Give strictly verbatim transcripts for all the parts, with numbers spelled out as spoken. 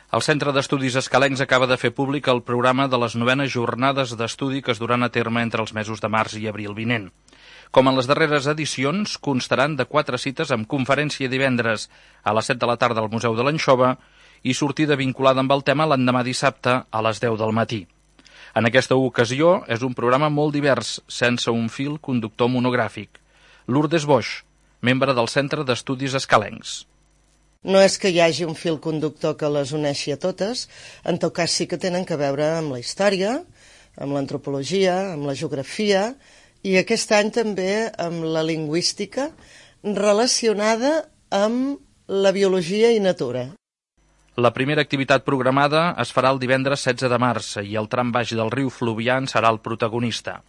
El Centre d'Estudis Escalencs acaba de fer públic el programa de les novenes jornades d'estudi que es duran a terme entre els mesos de març i abril vinent. Com en les darreres edicions, constaran de quatre cites amb conferència divendres a les set de la tarda al Museu de l'Anxova i sortida vinculada amb el tema l'endemà dissabte a les deu del matí. En aquesta ocasió és un programa molt divers, sense un fil conductor monogràfic. Lourdes Boix, membre del Centre d'Estudis Escalencs. No és que hi hagi un fil conductor que les uneixi a totes, en tot cas sí que tenen que veure amb la història, amb l'antropologia, amb la geografia i aquest any també amb la lingüística relacionada amb la biologia i natura. La primera activitat programada es farà el divendres setze de març i el tram baix del riu Fluvià en serà el protagonista.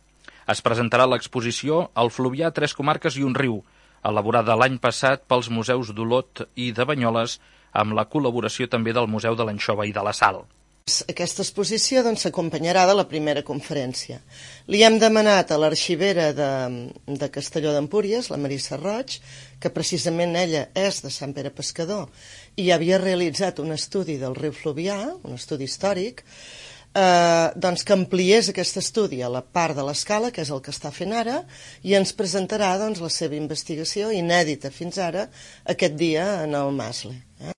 Es presentarà l'exposició El Fluvià, tres comarques i un riu, elaborada l'any passat pels museus d'Olot i de Banyoles, amb la col·laboració també del Museu de l'Anxova i de la Sal. Aquesta exposició doncs, s'acompanyarà de la primera conferència. Li hem demanat a l'arxivera de, de Castelló d'Empúries, la Marissa Roig, que precisament ella és de Sant Pere Pescador i havia realitzat un estudi del riu Fluvià, un estudi històric, Eh, doncs que ampliés aquest estudi a la part de l'escala, que és el que està fent ara, i ens presentarà doncs, la seva investigació inèdita fins ara aquest dia en el Masle. Eh?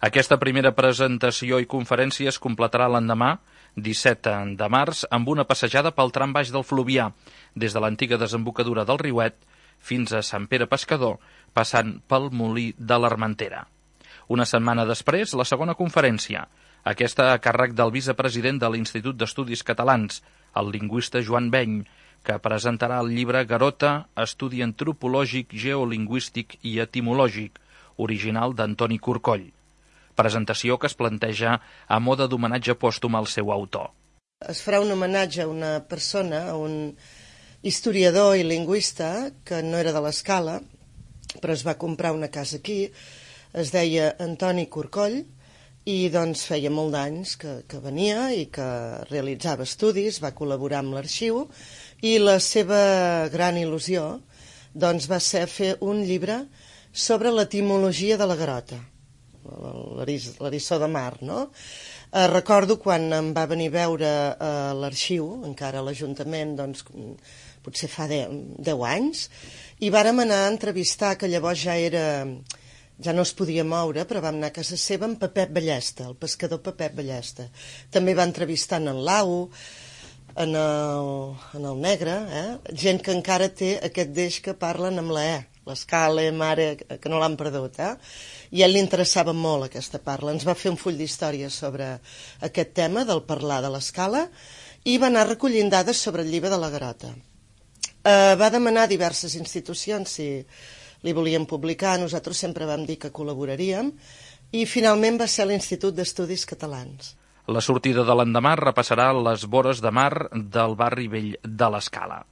Aquesta primera presentació i conferència es completarà l'endemà, disset de març, amb una passejada pel tram baix del Fluvià, des de l'antiga desembocadura del riuet fins a Sant Pere Pescador, passant pel Molí de l'Armentera. Una setmana després, la segona conferència, aquesta a càrrec del vicepresident de l'Institut d'Estudis Catalans, el lingüista Joan Beny, que presentarà el llibre Garota, estudi antropològic, geolingüístic i etimològic, original d'Antoni Corcoll. Presentació que es planteja a mode d'homenatge pòstum al seu autor. Es farà un homenatge a una persona, a un historiador i lingüista que no era de l'Escala, però es va comprar una casa aquí, es deia Antoni Corcoll, i doncs feia molt d'anys que, que venia i que realitzava estudis, va col·laborar amb l'arxiu i la seva gran il·lusió doncs, va ser fer un llibre sobre l'etimologia de la garota, l'eriçó de mar, no? Eh, recordo quan em va venir a veure a l'arxiu, encara a l'Ajuntament, doncs, potser fa deu anys, i vàrem anar a entrevistar, que llavors ja era... ja no es podia moure, però vam anar a casa seva amb Pepet Ballesta, el pescador Pepet Ballesta. També va entrevistar en Lau, en el, en el Negre, eh? Gent que encara té aquest deix que parlen amb la E, l'Escala, mare, que no l'han perdut. Eh? I a ell li interessava molt aquesta parla. Ens va fer un full d'història sobre aquest tema del parlar de l'Escala i va anar recollint dades sobre el llibre de la Garota. Eh, va demanar a diverses institucions si li volien publicar, nosaltres sempre vam dir que col·laboraríem, i finalment va ser l'Institut d'Estudis Catalans. La sortida de l'endemà repassarà les vores de mar del barri vell de l'Escala.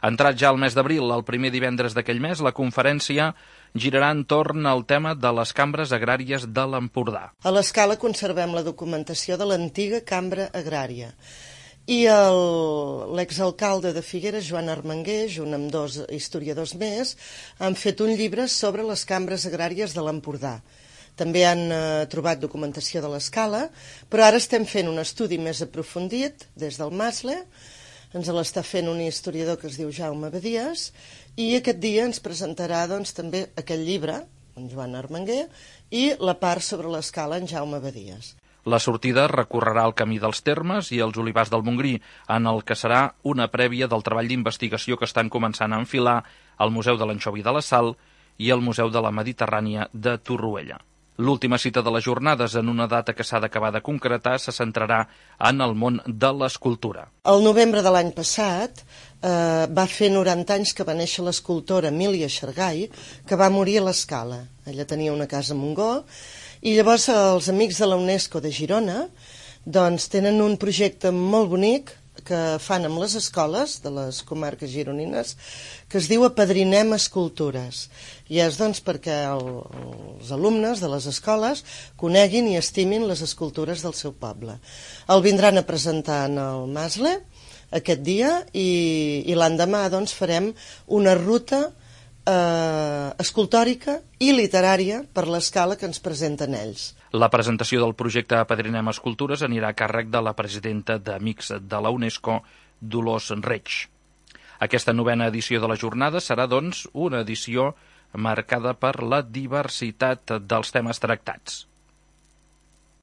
Entrat ja al mes d'abril, el primer divendres d'aquell mes, la conferència girarà entorn al tema de les cambres agràries de l'Empordà. A l'Escala conservem la documentació de l'antiga cambra agrària. I l'exalcalde de Figueres, Joan Armenguer, junt amb dos historiadors més, han fet un llibre sobre les cambres agràries de l'Empordà. També han eh, trobat documentació de l'Escala, però ara estem fent un estudi més aprofundit des del Masle, ens l'està fent un historiador que es diu Jaume Badies, i aquest dia ens presentarà doncs, també aquest llibre, en Joan Armenguer, i la part sobre l'Escala en Jaume Badies. La sortida recorrerà el camí dels Termes i els Olivars del Montgrí, en el que serà una prèvia del treball d'investigació que estan començant a enfilar al Museu de l'Anxova i de la Sal i al Museu de la Mediterrània de Torroella. L'última cita de les jornades, en una data que s'ha d'acabar de concretar, se centrarà en el món de l'escultura. El novembre de l'any passat eh, va fer noranta anys que va néixer l'escultora Emília Xargai, que va morir a l'Escala. Ella tenia una casa a Montgó, i llavors els amics de la UNESCO de Girona doncs, tenen un projecte molt bonic que fan amb les escoles de les comarques gironines que es diu Apadrinem Escultures. I és doncs, perquè el, els alumnes de les escoles coneguin i estimin les escultures del seu poble. El vindran a presentar en el Masle aquest dia i, i l'endemà doncs, farem una ruta eh, escultòrica i literària per l'escala que ens presenten ells. La presentació del projecte Apadrinem Escultures anirà a càrrec de la presidenta d'Amics de la UNESCO, Dolors Reig. Aquesta novena edició de la jornada serà, doncs, una edició marcada per la diversitat dels temes tractats.